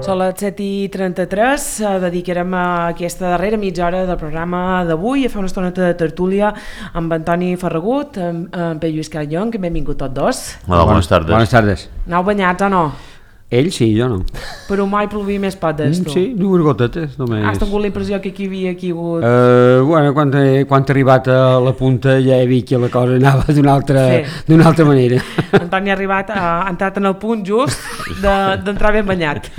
Són les 7:33, dedicarem a aquesta darrera mitja hora del programa d'avui a fer una estoneta de tertúlia amb Antoni Ferragut, amb Pere Lluís Carallón, que benvingut tots dos. Hola, bones tardes. Bones tardes. Aneu banyats o no? Ell sí, jo no. Però mai plovia més potes, tu. Sí, dues gotetes només. Has tingut la impressió que aquí havia caigut... Bueno, quan he arribat a la punta ja he vist que la cosa anava d'una altra manera. Antoni ha entrat en el punt just d'entrar ben banyat.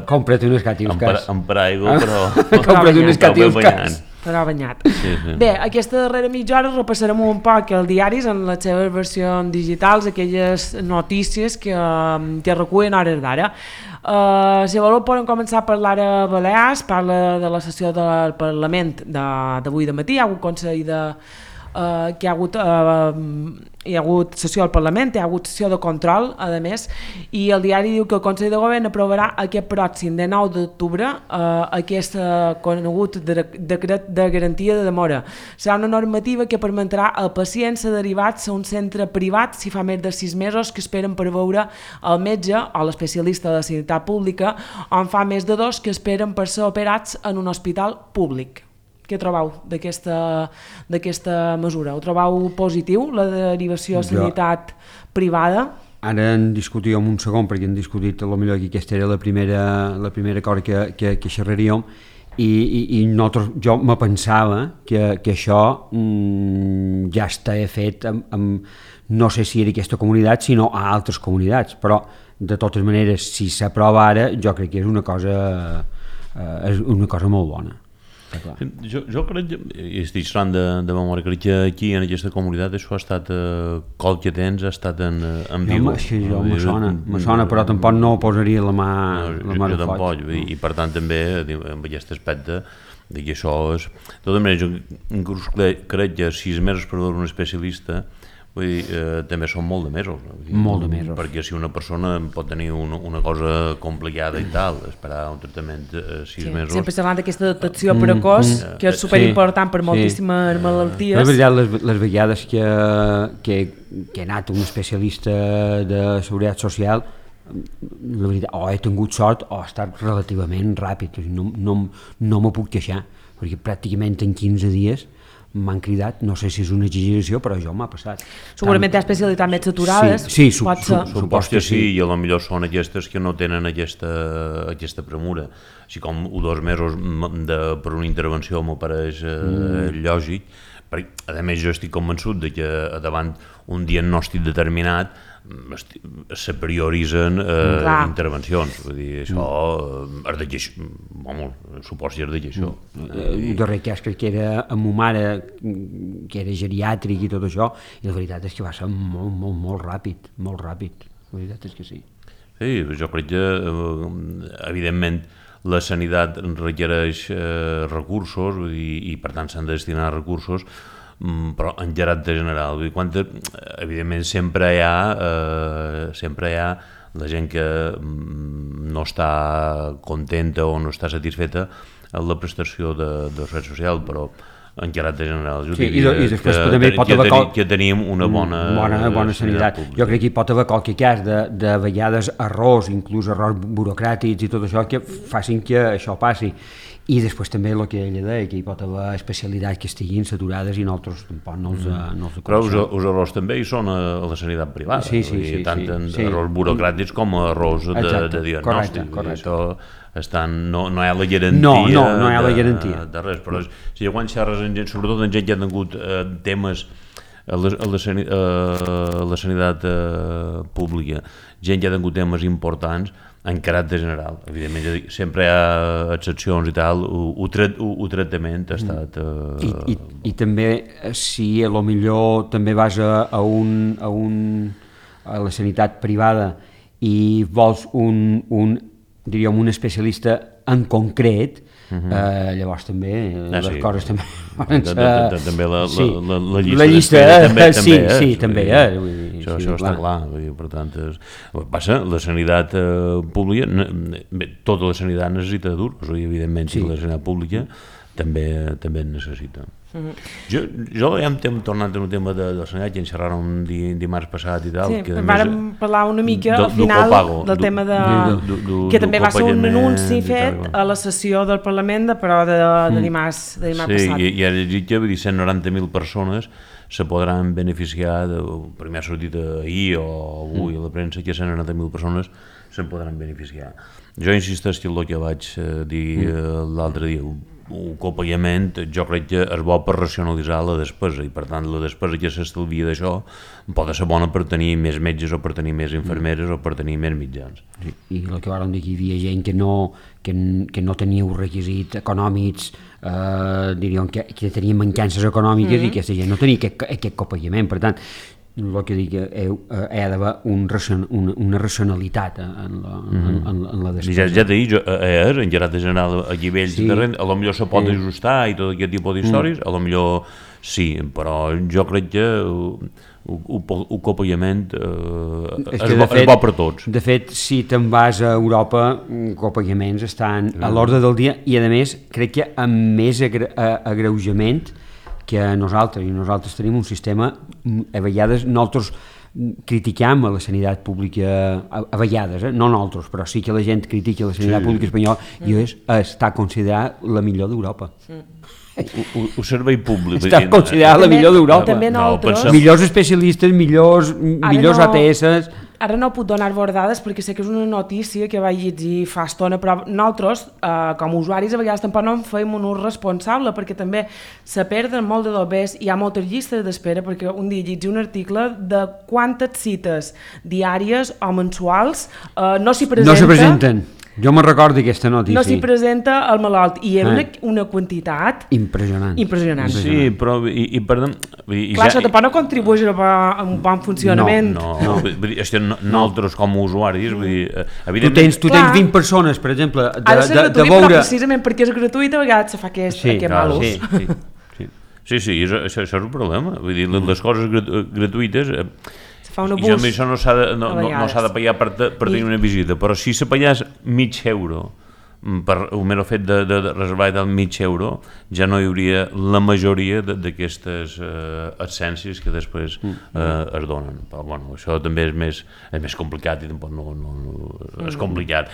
Compra't un escati els cas. Amb paraigua, però... Compra't un escati els cas. Però banyat. Sí. Bé, aquesta darrera mitja hora repassarem un poc els diaris en les seves versions digitals, aquelles notícies que recullen hores d'ara. Si voleu podem començar a parlar a Balears, parla de la sessió del Parlament d'avui de matí, hi ha hagut Consell que hi ha hagut sessió al Parlament, hi ha hagut sessió de control, a més, i el diari diu que el Consell de Govern aprovarà aquest pròxim de 9 d'octubre aquest conegut decret de garantia de demora. Serà una normativa que permetrà al pacient ser derivats a un centre privat si fa més de 6 mesos que esperen per veure el metge o l'especialista de la sanitat pública, o en fa més de 2 que esperen per ser operats en un hospital públic. Què trobeu d'aquesta mesura? Ho trobeu positiu, la derivació a sanitat privada? Ara en discutíem un segon, perquè hem discutit potser que aquesta era la primera cosa que xerraríem, i jo me pensava que això ja està fet no sé si era aquesta comunitat, sinó a altres comunitats, però de totes maneres, si s'aprova ara, jo crec que és una cosa molt bona. Jo crec, i estic parlant de memòria, crec que aquí en aquesta comunitat això ha estat qualque temps ha estat en viu. Sí, me sona, però tampoc no posaria la mà de foc. I per tant també amb aquest aspecte que això és... De totes maneres, jo inclús crec que 6 mesos per veure un especialista també són molt de mesos. Molt de mesos. Perquè si una persona pot tenir una cosa complicada i tal, esperar un tractament 6 mesos... Sempre parlant d'aquesta detecció precoç, que és superimportant per moltíssimes malalties. La veritat, les vegades que he anat a un especialista de seguretat social, la veritat, o he tingut sort o ha estat relativament ràpid. No me puc queixar, perquè pràcticament en 15 dies m'han cridat, no sé si és una exageració, però això m'ha passat. Segurament hi ha especialitats més saturades. Sí, suposo que sí. I potser són aquestes que no tenen aquesta premura. Així com 2 mesos per una intervenció m'ho pareix lògic, perquè a més jo estic convençut que davant un diagnòstic determinat se prioritzen intervencions, vull dir, això és de queixó, suposo que és de queixó. El darrer cas crec que era amb ma mare, que era geriàtric i tot això, i la veritat és que va ser molt ràpid, la veritat és que sí. Sí, jo crec que, evidentment, la sanitat requereix recursos i per tant s'han de destinar recursos, però en caràcter general, evidentment sempre hi ha la gent que no està contenta o no està satisfeta amb la prestació de servei social, però en caràcter general i després també pot haver que tenim una bona sanitat. Jo crec que hi pot haver qualque cas de vegades errors, inclús errors burocràtics i tot això, que facin que això passi. I després també el que ella deia, que hi pot haver especialitats que estiguin saturades i nosaltres tampoc no els coneixem. Però els errors també hi són a la sanitat privada, tant en errors burocràtics com errors de diagnòstic. Correcte. No hi ha la garantia no hi ha la garantia de res, però si quan xerres amb gent, sobretot en gent que ha tingut temes a la sanitat pública, gent que ha tingut temes importants en caràcter general, evidentment sempre hi ha excepcions i tal, el tractament ha estat... I també si potser també vas a la sanitat privada i vols un especialista en concret, llavors també les coses també també la llista també això està clar, per tant passa, la sanitat pública tota la sanitat necessita duros, evidentment si la sanitat pública també es necessita. Jo ja hem tornat en un tema de sanitat, que en xerràrem dimarts passat i tal. Sí, vam parlar una mica al final del tema que també va ser un anunci fet a la sessió del Parlament de dimarts passat. Sí, i ara llegit, vull dir, 190.000 persones se podran beneficiar, primer ha sortit ahir o avui a la premsa, que 190.000 persones se'n podran beneficiar. Jo insisteixo en el que vaig dir l'altre dia, un copagament jo crec que és bo per racionalitzar la despesa i per tant la despesa que s'estalvia d'això pot ser bona per tenir més metges o per tenir més infermeres o per tenir més mitjans. Sí, i el que vàrem dir que hi havia gent que no teniu requisits econòmics, diríem que tenia mancances econòmiques i aquesta gent no tenia aquest copagament, per tant el que dic, hi ha d'haver una racionalitat en la despesa. Ja t'he dit, en gerent general a nivells de renda, a lo millor se pot ajustar i tot aquest tipus d'històries, a lo millor sí, però jo crec que el copagament és bo per tots. De fet, si te'n vas a Europa, copagaments estan a l'ordre del dia i a més crec que amb més agreujament que nosaltres tenim un sistema, a vegades nosaltres critiquem a la sanitat pública, a vegades, no nosaltres, però sí que la gent critica la sanitat pública espanyola i està considerada la millor d'Europa. El servei públic està considerada la millor d'Europa. També nosaltres... Millors especialistes, millors ATS... Ara no puc donar-vos dades perquè sé que és una notícia que vaig llegir fa estona, però nosaltres, com a usuaris, a vegades tampoc no en feim un ús responsable perquè també se perden molt de dobbers, hi ha moltes llistes d'espera, perquè un dia llegi un article de quantes cites diàries o mensuals no s'hi presenten. Jo me'n recordo d'aquesta notícia. No s'hi presenta el malalt i era una quantitat impressionant. Sí, però i perdó... Clar, això tampoc no contribueix a un bon funcionament. No. Nosaltres com a usuaris, evidentment... Tu tens 20 persones, per exemple, de veure... Ha de ser gratuït, però precisament perquè és gratuït a vegades se fa aquest mal ús. Sí, això és un problema. Vull dir, les coses gratuïtes... I això no s'ha de pagar per tenir una visita, però si se pagàs €0,5 per el mero fet de reservar del €0,5 ja no hi hauria la majoria d'aquestes absències que després es donen. Però bueno, això també és més complicat i tampoc no és complicat.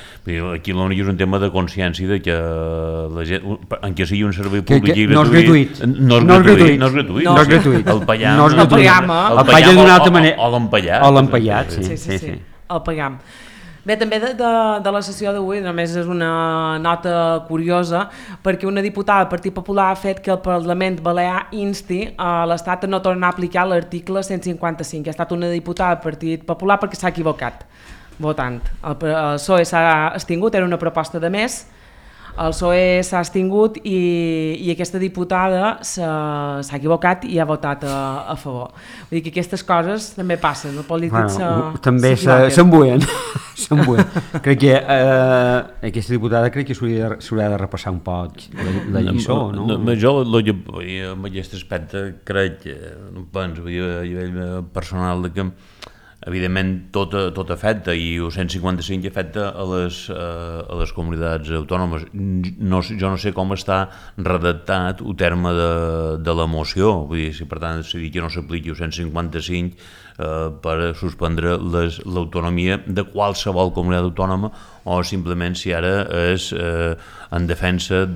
Aquí l'únic és un tema de consciència de que la gent, en què sigui un servei públic i gratuït, no és gratuït. El pagam d'una altra manera o l'empallat. O l'empallat, sí. El pagam. Bé, també de la sessió d'avui només és una nota curiosa perquè una diputada del Partit Popular ha fet que el Parlament Balear insti a l'Estat a no tornar a aplicar l'article 155. Ha estat una diputada del Partit Popular perquè s'ha equivocat votant. El PSOE s'ha extingut, era una proposta de més, el PSOE s'ha extingut i aquesta diputada s'ha equivocat i ha votat a favor. Vull dir que aquestes coses també passen, els polítics també s'embuen. Crec que aquesta diputada s'hauria de repassar un poc la lliçó, no? Jo en aquest aspecte crec que no penso a nivell personal que evidentment tot afecta i el 155 afecta a les comunitats autònomes. Jo no sé com està redactat el terme de la moció, vull dir, si per tant s'ha dit que no s'apliqui el 155 per suspendre l'autonomia de qualsevol comunitat autònoma o simplement si ara és en defensa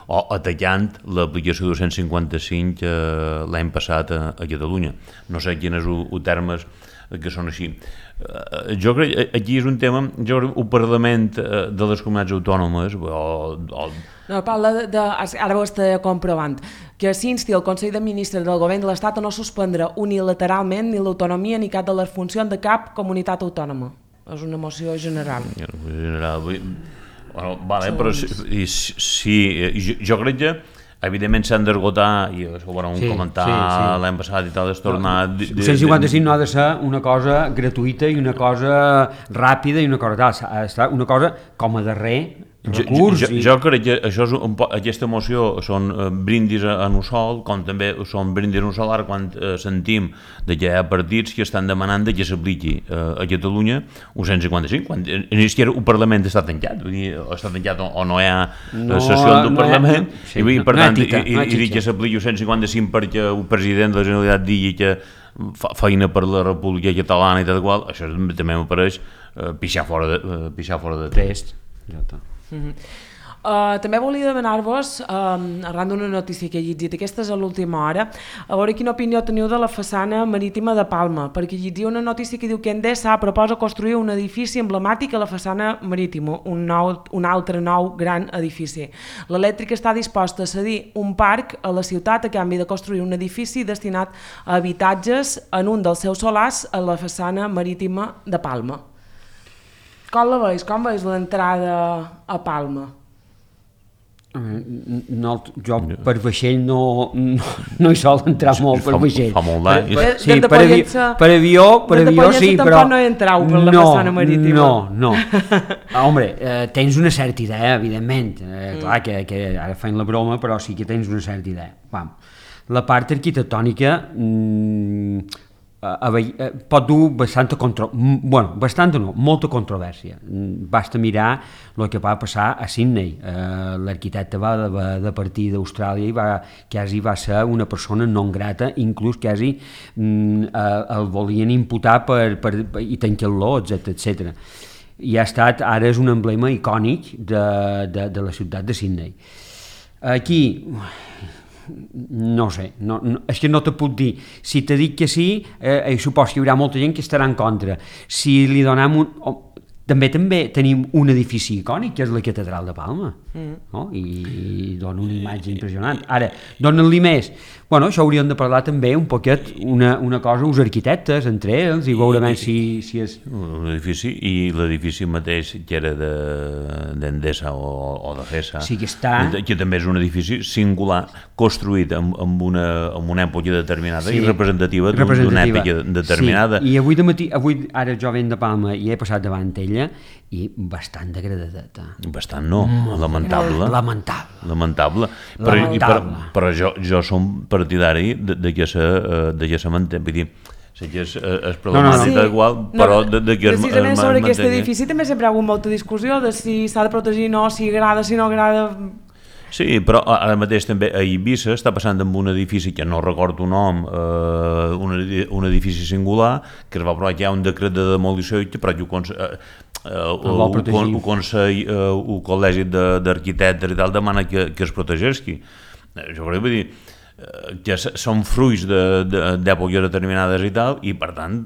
o atacant l'aplicació del 155 l'any passat a Catalunya. No sé quin és el terme que són així. Jo crec que aquí és un tema, el Parlament de les comunitats autònomes No, parla ara ho estic comprovant, que s'insti el Consell de Ministres del Govern de l'Estat a no suspendre unilateralment ni l'autonomia ni cap de les funcions de cap comunitat autònoma. És una moció general. Però sí, jo crec que evidentment s'han d'esgotar, i això ho vam comentar l'any passat i tal, és tornar... El 155 no ha de ser una cosa gratuïta i una cosa ràpida i una cosa tal, ha d'estar una cosa com a darrer recurs. Jo crec que això és aquesta moció són brindis en un sol, com també són brindis en un solar quan sentim que hi ha partits que estan demanant que s'apliqui a Catalunya un 155, quan el Parlament està tancat, vull dir, està tancat o no hi ha sessió del Parlament, i per tant, i que s'apliqui un 155 perquè el president de la Generalitat digui que fa feina per la República Catalana i tal qual, això també m'apareix pixar fora de test. Ja està. També volia demanar-vos, arran d'una notícia que he llegit, aquesta és a l'última hora, a veure quina opinió teniu de la façana marítima de Palma, perquè llegia una notícia que diu que Endesa proposa construir un edifici emblemàtic a la façana marítima, un altre nou gran edifici. L'Elèctrica està disposta a cedir un parc a la ciutat a canvi de construir un edifici destinat a habitatges en un dels seus solars a la façana marítima de Palma. Com la veus? Com veus l'entrada a Palma? Jo per vaixell no hi sol entrar molt per vaixell. Fa molt d'any. Sí, per avió sí, però... no entrau per la façana marítima. No. Home, tens una certa idea, evidentment. Clar que ara feim la broma, però sí que tens una certa idea. La part arquitectònica pot dur molta controvèrsia. Basta mirar el que va passar a Sydney. L'arquitecte va de partir d'Austràlia i quasi va ser una persona non grata, inclús quasi el volien imputar i tancar-lo, etc. I ara és un emblema icònic de la ciutat de Sydney. Aquí no sé, és que no te puc dir. Si te dic que sí, supos que hi haurà molta gent que estarà en contra. Si li donem també tenim un edifici icònic, que és la Catedral de Palma, no? I dona una imatge impressionant. Ara, donen-li més. Això hauríem de parlar també un poquet, una cosa, els arquitectes, entre ells, i veurem si és... L'edifici, i l'edifici mateix, que era d'Endesa o de GESA, sí que està... que també és un edifici singular, construït en una època determinada i representativa d'una època determinada. Sí, i avui de matí, ara jo venc de Palma i he passat davant ella, i bastant degradadeta. Bastant no, lamentable. Lamentable. Però jo som partidari de que se manté, vull dir, que és problemàtica igual, però de que precisament sobre aquest edifici també sempre hi ha hagut molta discussió de si s'ha de protegir o no, si agrada, si no agrada... Sí, però ara mateix també a Eivissa està passant amb un edifici que no recordo el nom, un edifici singular, que es va aprovar que hi ha un decret de demolició, però el col·legi d'arquitectes i tal demana que es protegeixi. Jo vull dir que són fruits d'èpoques determinades i tal, i per tant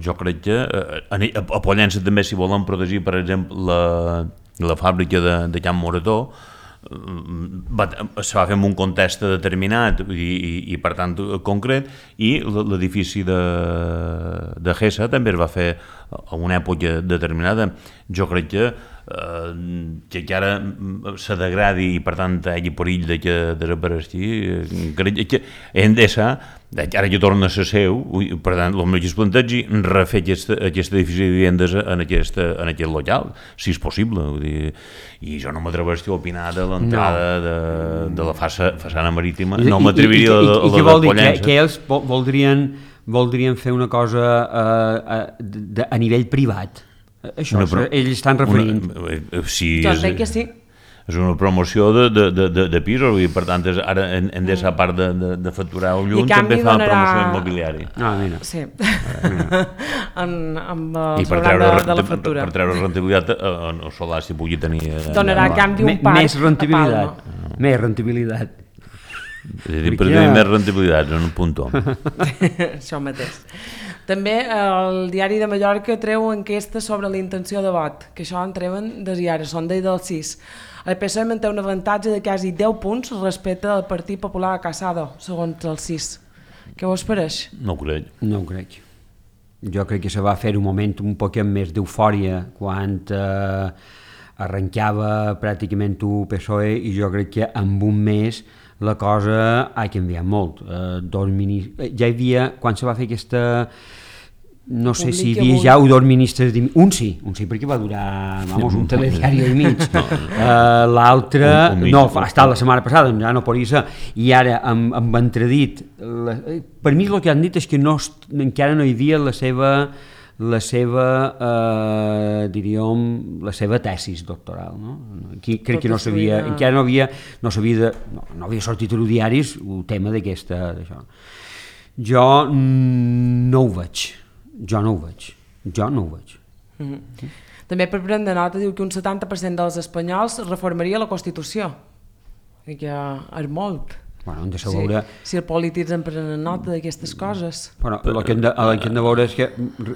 jo crec que a Pollença també, si volen protegir per exemple la fàbrica de Can Morató, se va fer en un context determinat i per tant concret, i l'edifici de GESA també es va fer a una època determinada. Jo crec que ara se degradi i per tant hi hagi perill que desapareixi. Crec que Endesa, ara que torna a ser seu, per tant el meu que es plantegi refer aquest edifici de vivendes en aquest local, si és possible. I jo no m'atreveixo a opinar de l'entrada de la façana marítima, no m'atreviria a la de Pollença. Que ells voldrien fer una cosa a nivell privat. Això, ells estan referint. Jo entenc que sí. És una promoció de pisos, i per tant ara Endesa, a part de facturar el llum, també fa promoció immobiliària. Sí, amb el sobrant de la factura. Per treure rentabilitat al solar, si pugui tenir... Donarà a canvi un parc més rentabilitat. Més rentabilitat. Per tenir més rentabilitat, en un puntó. Això mateix. També el Diari de Mallorca treu enquesta sobre la intenció de vot, que això en treuen des i ara, són del 6. El PSOE manté un avantatge de quasi 10 punts respecte al Partit Popular a Casado, segons el 6. Què vos pareix? No ho crec. No ho crec. Jo crec que se va fer un moment un poc més d'eufòria quan arrencava pràcticament el PSOE, i jo crec que en un mes la cosa ha canviat molt. Ja hi havia, quan se va fer no sé si hi havia ja dos ministres, un sí, perquè va durar un telediari i mig, l'altre no, ha estat la setmana passada, ja no podria ser, i ara amb entredit, per mi el que han dit és que encara no hi havia la seva tesis doctoral, no? Aquí crec que no sabia, encara no havia sortit a diaris el tema d'això. Jo no ho veig. També per prendre nota diu que un 70% dels espanyols reformaria la Constitució, que és molt. Bueno, hem de saber... Si els polítics en prenen nota d'aquestes coses. Bueno, el que hem de veure és que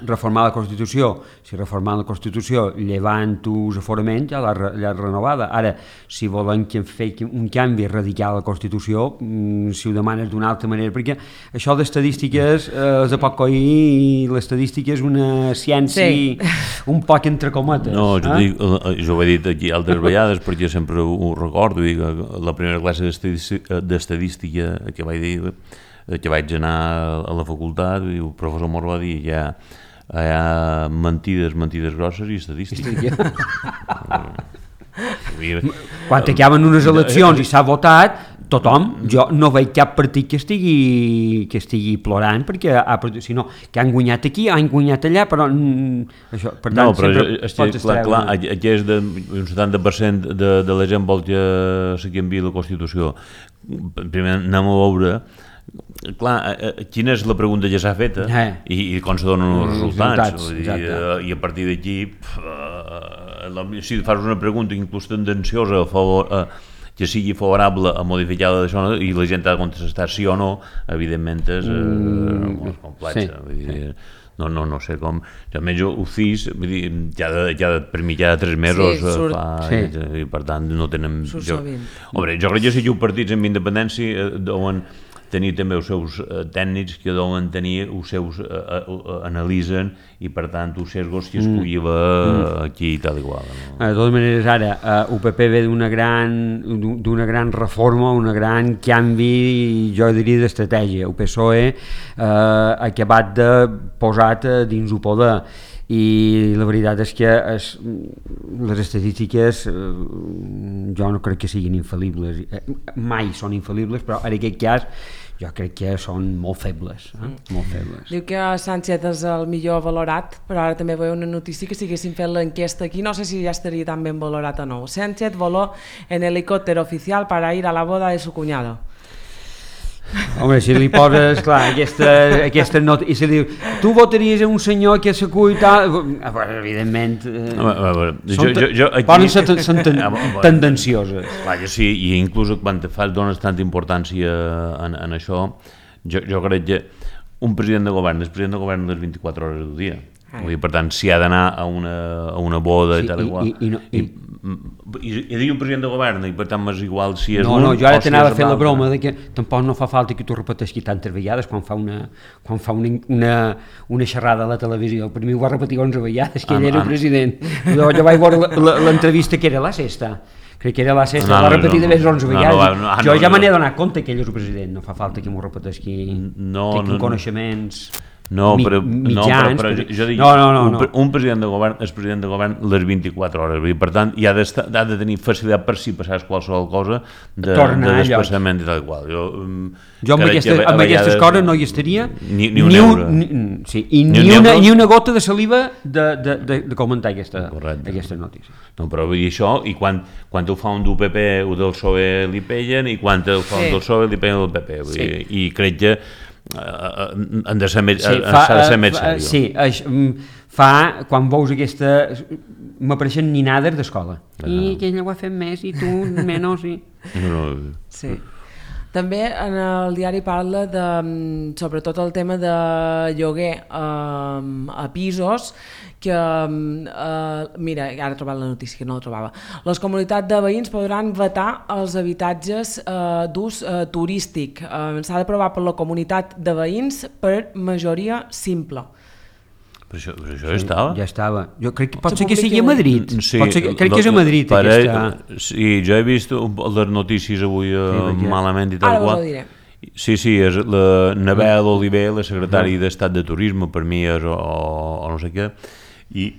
reformar la Constitució, si reformar la Constitució llevant els aforaments, ja l'ha renovada. Ara, si volen fer un canvi radical a la Constitució, si ho demanes d'una altra manera, perquè això d'estadístiques és de poc coir i l'estadística és una ciència un poc entre cometes. No, jo ho he dit aquí altres vegades perquè sempre ho recordo, i la primera classe d'estadística que vaig dir, que vaig anar a la facultat, i el professor Mor va dir hi ha mentides grosses i estadístiques. Quan acaben unes eleccions i s'ha votat, tothom, jo no veig cap partit que estigui plorant, perquè si no, que han guanyat aquí, han guanyat allà, però això, per tant, sempre pots clar, aquí és un 70% de la gent vol que se canviï la Constitució. Primer anem a veure quina és la pregunta que s'ha feta i com se donen els resultats. I a partir d'aquí, si fas una pregunta inclús tendenciosa que sigui favorable a modificar d'això i la gent ha de contestar sí o no, evidentment és molt complex. No sé com... Almenys el CIS, per mi cada 3 mesos i per tant no tenen... Jo crec que si hi ha partits amb independència deuen tenir també els seus tècnics que deuen tenir els seus analitzen i per tant els sesgos que escolliva aquí i tal i qual. De totes maneres ara UPP ve d'una gran reforma, un gran canvi, jo diria d'estratègia. El PSOE ha acabat de posat dins el poder i la veritat és que les estadístiques jo no crec que siguin infal·libles, mai són infal·libles, però en aquest cas jo crec que són molt febles. Diu que Sánchez és el millor valorat, però ara també veu una notícia que si haguessin fet l'enquesta aquí no sé si ja estaria tan ben valorat o no. Sánchez voló en helicòpter oficial para ir a la boda de su cuñado. Home, si li poses, clar, aquesta nota, i si diu, tu votaries un senyor que s'acull i tal, evidentment, poden ser tendencioses. Clar, sí, i inclús quan dones tanta importància en això, jo crec que un president de govern és president de govern les 24 hores del dia. Per tant, si ha d'anar a una boda i tal igual. I dir un president de govern i per tant és igual si és no, jo ara t'anava a fer la broma de que tampoc no fa falta que tu repeteixi tantes vegades quan fa una xerrada a la televisió. Per mi ho va repetir 11 vegades que ell era president. Jo vaig veure l'entrevista que era la sexta, crec que era la sexta, la va repetir de més 11 vegades. Jo ja me n'he donat compte que ell és el president, no fa falta que m'ho repeteixi, tinc coneixements mitjans. Jo dic, un president de govern és president de govern les 24 hores, per tant ha de tenir facilitat per si passés qualsevol cosa de desplaçament i tal qual. Jo amb aquestes coses no hi estaria ni una gota de saliva de comentar aquesta notícia. No, però vull dir això, i quan ho fa un del PP o del PSOE li pellen, i quan ho fa un del PSOE li pellen del PP, i crec que s'ha de ser més seriós. Sí, quan veus aquesta m'apareixen ninades d'escola i que ella ho ha fet més i tu menys sí. També en el diari parla sobretot el tema de lloguer a pisos que, mira, ara he trobat la notícia que no la trobava, les comunitats de veïns podran vetar els habitatges d'ús turístic, s'ha d'aprovar per la comunitat de veïns per majoria simple. Però això estava? Ja estava. Jo crec que pot ser que sigui a Madrid. Crec que és a Madrid aquesta... Sí, jo he vist les notícies avui malament i tal qual. Sí, és la Nabel Oliver, la secretària d'Estat de Turisme, per mi és o no sé què, i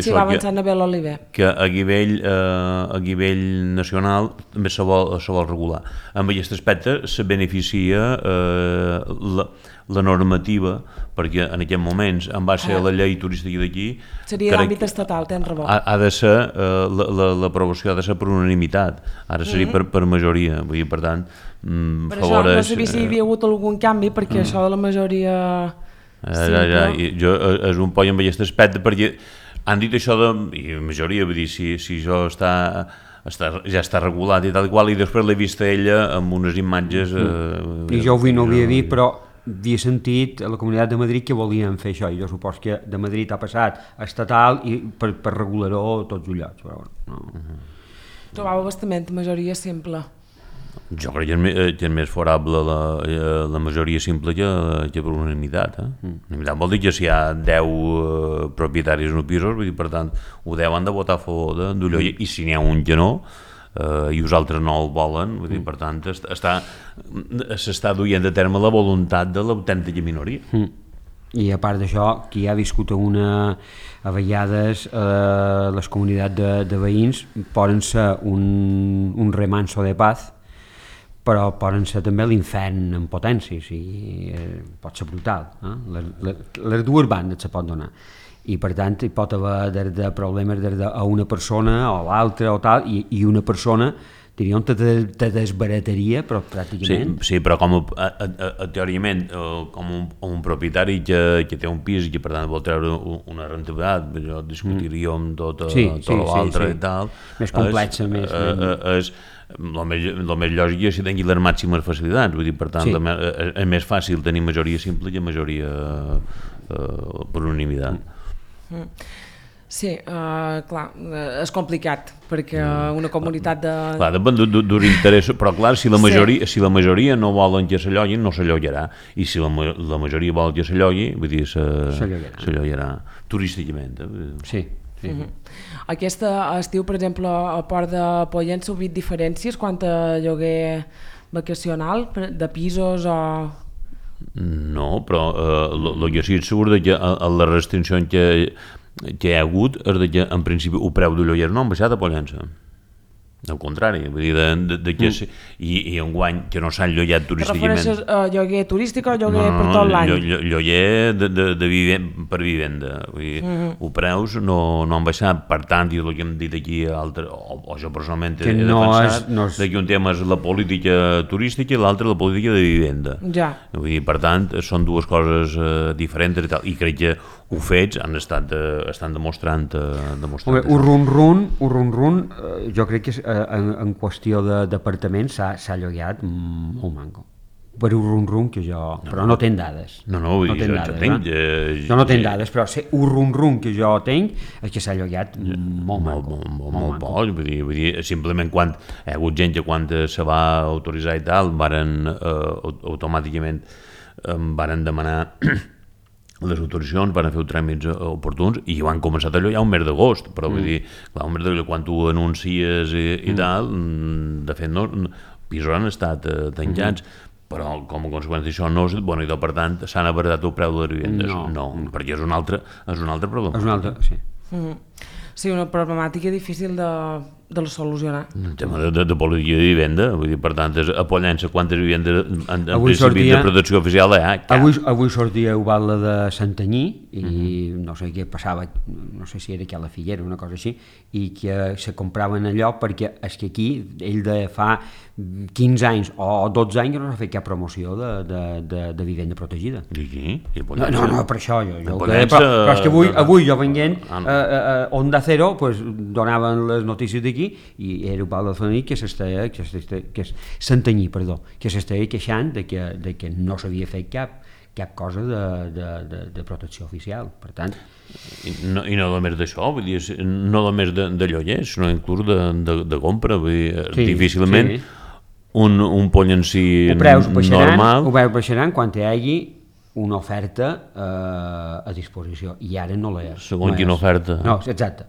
sí, va avançar Nabel Oliver. Que a nivell nacional també se vol regular. En aquest aspecte se beneficia la normativa, perquè en aquests moments, en base a la llei turística d'aquí... Seria l'àmbit estatal, tens raó. Ha de ser, l'aprovació ha de ser per unanimitat, ara seria per majoria, vull dir, per tant, per això no sabia si hi havia hagut algun canvi, perquè això de la majoria... Jo és un poll amb aquest aspecte, perquè han dit això de majoria, vull dir, si això ja està regulat i tal i qual, i després l'he vist a ella amb unes imatges... I jo avui no ho havia vist, però havia sentit a la Comunitat de Madrid que volien fer això, i jo supos que de Madrid ha passat a estatal i per regular-ho tots els llocs. Però no. Trobava bastament majoria simple. Jo crec que és més favorable la majoria simple que per unanimitat. Unanimitat vol dir que si hi ha 10 propietaris en pisos, vull dir, per tant, ho 10 han de votar a favor d'allò, i si n'hi ha un que no, i els altres no el volen, vull dir, per tant, s'està duient a terme la voluntat de l'autèntica minoria. I a part d'això, qui ha viscut a vegades les comunitats de veïns poden ser un remanso de paz, però poden ser també l'infern en potència, pot ser brutal. Les dues bandes se pot donar. I per tant hi pot haver de problemes a una persona o l'altra o tal, i una persona diríem te desbarataria, però pràcticament... Sí, però com teòricament, com un propietari que té un pis i que per tant vol treure una rentabilitat, jo discutiríem tot l'altre i tal... Més complexa, més... El més lògic és que tingui les màximes facilitats, vull dir, per tant, és més fàcil tenir majoria simple que majoria per unanimitat. Sí, clar, és complicat, perquè una comunitat de... Clar, depèn d'un interès, però clar, si la majoria no volen que s'allogin, no s'allotjarà, i si la majoria vol que s'allogui, vull dir, s'allotjarà turísticament. Sí. Aquest estiu, per exemple, a Port de Pollença, heu vist diferències quant a lloguer vacacional, de pisos o... No, però el que sí és segur que la restricció que hi ha hagut és que en principi el preu de lloguer no ha baixat a Pollença. Al contrari, vull dir, i enguany que no s'han llogat turísticament... Te refereixes a lloguer turístic o lloguer per tot l'any? Lloguer per vivenda, vull dir, els preus no han baixat, per tant, i el que hem dit aquí, o jo personalment he defensat, que un tema és la política turística i l'altre la política de vivenda. Vull dir, per tant, són dues coses diferents i tal, i crec que els fets estan demostrant... Un run, jo crec que en qüestió d'apartaments s'ha llogat molt manco. Per un run que jo... Però no tenc dades. No, jo tinc... Jo no tenc dades, però un run que jo tinc és que s'ha llogat molt manco. Molt bo, vull dir, simplement quan hi ha hagut gent que quan se va autoritzar i tal, automàticament varen demanar les autoritzacions, van fer els tràmits oportuns i van començar a llogar un mes d'agost, però vull dir, clar, un mes d'agost quan tu anuncies i tal, de fet no, pisos han estat tancats, però com a conseqüència d'això no és bona idea, per tant s'han abaratat el preu de les vivendes, no, perquè és un altre problema. És un altre, sí. Sí, una problemàtica difícil de solucionar. El tema de política de vivenda, vull dir, per tant, a Pollença, quantes vivendes en principi de protecció oficial hi ha? Avui sortia Ubalda de Santanyí i no sé què passava, no sé si era aquí a la Figuera, una cosa així, i que se compraven allò perquè és que aquí, ell de fa 15 anys o 12 anys que no s'ha fet cap promoció de vivenda protegida. I aquí? No, per això però és que avui jo venint Onda Cero donaven les notícies d'aquí i era Ubalda de Santanyí que s'estava queixant de que no s'havia fet cap cosa de protecció oficial, per tant... I no només d'això, vull dir, no només de lloguer, sinó inclús de compra, vull dir, difícilment un pollencí normal... Ho veus baixaran quan hi hagi una oferta a disposició, i ara no la és. Segons quina oferta? No, exacte.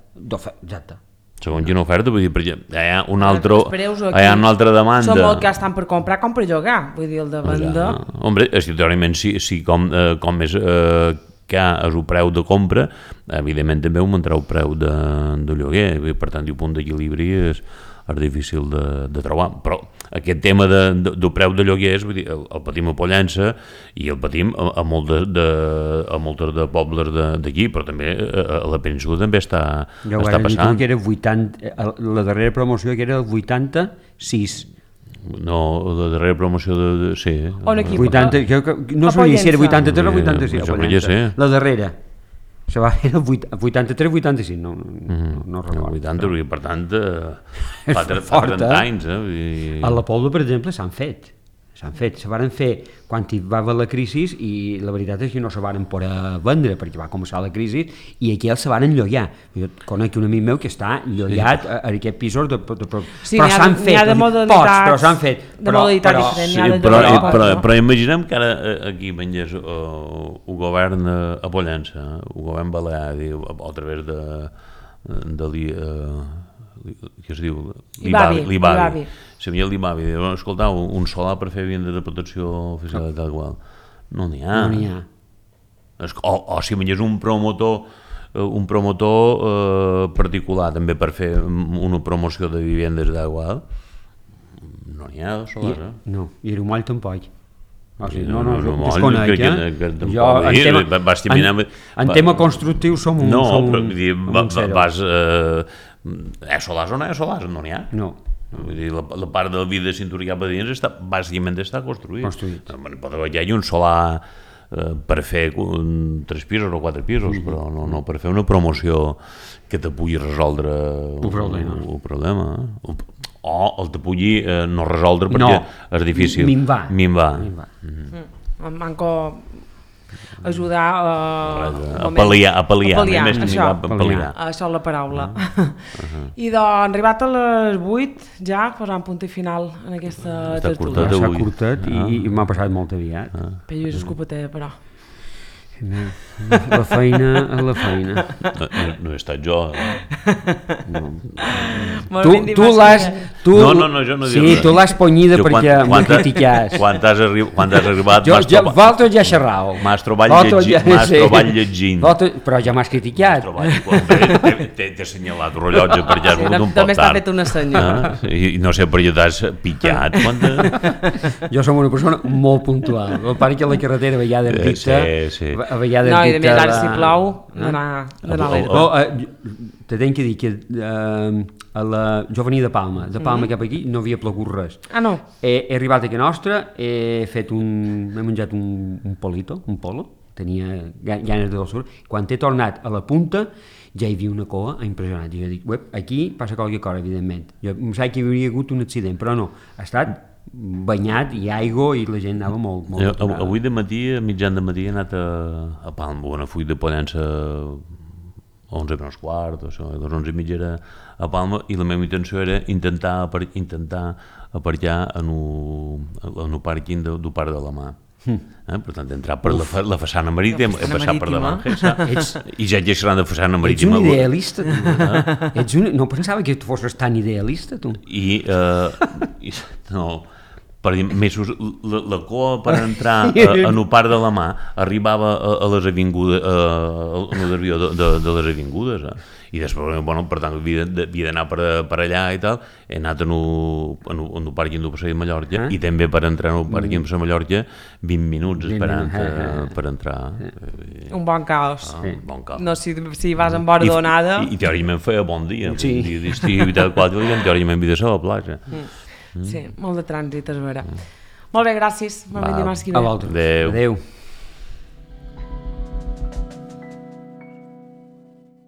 Segons quina oferta, vull dir, perquè hi ha una altra demanda. Som el que estan per comprar com per llogar, vull dir, el de venda... Hombre, teòricament, si com més que és el preu de compra, evidentment també augmentarà el preu de lloguer, per tant, el punt d'equilibri és difícil de trobar, però aquest tema del preu de lloguers, vull dir, el patim a Pollença i el patim a molts de pobles d'aquí, però també a la península també està passant. Que era 80, la darrera promoció que era el 86. No, la darrera promoció de... Sí. On aquí? 80, no sabia si era 83 o 86. La darrera. Se va fer el 83-85, no recordo. 80, per tant, fa 30 anys. A la Pobla, per exemple, s'han fet. Se varen fer quan hi va haver la crisi i la veritat és que no se varen poder vendre perquè va començar la crisi i aquí els se varen llogar. Jo conec un amic meu que està llogat a aquests pisos però s'han fet, pocs, però s'han fet. De modalitat diferent. Però imaginem que ara aquí vengués el govern a Pollença, el govern balear, a través de que es diu l'IBAVI. Si havia l'IBAVI, diu, escolta, un solar per fer viandes de protecció oficial tal qual. No n'hi ha. O si vengués un promotor particular també per fer una promoció de vivendes tal qual, no n'hi ha de solar. No, i era un moll tampoc. No, desconec, en tema constructiu som un vas solars o no hi ha solars? No n'hi ha. La part del vidre de cinturó cap a dins bàsicament està construït. Pot haver un solar per fer 3 pisos o 4 pisos, però no per fer una promoció que te pugui resoldre el problema. O el te pugui no resoldre perquè és difícil. Minvar. Manco ajudar a pal·liar. Això és la paraula. I doncs, arribat a les 8, ja posant punt i final en aquesta tertúlia. S'ha curtat i m'ha passat molt aviat. Però jo és escopetera, però. La feina. No he estat jo. Tu l'has... No, jo no dic res. Sí, tu l'has ponyida perquè m'ho critiques. Quan has arribat... Vosaltres ja xerrau. M'has trobat llegint. Però ja m'has criticat. T'he assenyalat el rellotge perquè has vingut un poc tard. També està fet una senya. I no sé per què t'has pitjat. Jo som una persona molt puntual. El pare que la carretera a vegades dicta... No, i de més ara si plou d'anar a l'aire. Te tenc que dir que jo venia de Palma cap aquí no havia plogut res. No. He arribat a casa nostra, he menjat un polo, tenia ganes de dolçor. Quan he tornat a la punta ja hi havia una cova impressionant. Jo dic, aquí passa qualque cosa, evidentment. Jo em sap que hi hauria hagut un accident, però no, ha estat banyat i aigua i la gent anava molt aturada. Avui de matí, a mitjan de matí, he anat a Palma, a Full de Pollença 11 menys quart, a les 11:30 era a Palma, i la meva intenció era intentar aparcar en el pàrquing del Parc de la Mà. Per tant, entrar per la façana marítima, he passat per davant i ja xerrant de façana marítima. Ets un idealista, tu. No pensava que tu fossis tan idealista, tu. No, per dir, la cua per entrar en el Parc de la Mà arribava a les avingudes, al desvió de les avingudes, i després, per tant, havia d'anar per allà i tal. He anat en el pàrquing del Passeig de Mallorca i també per entrar en el pàrquing de Mallorca 20 minuts esperant per entrar. Un bon caos. No, si vas en vora d'onada... I teòricament feia bon dia, dia d'estiu i tal, teòricament havia de ser a la platja. Sí, molt de trànsit, és vera. Molt bé, gràcies. Molt bé, dimarts que ve. A vosaltres. Adéu.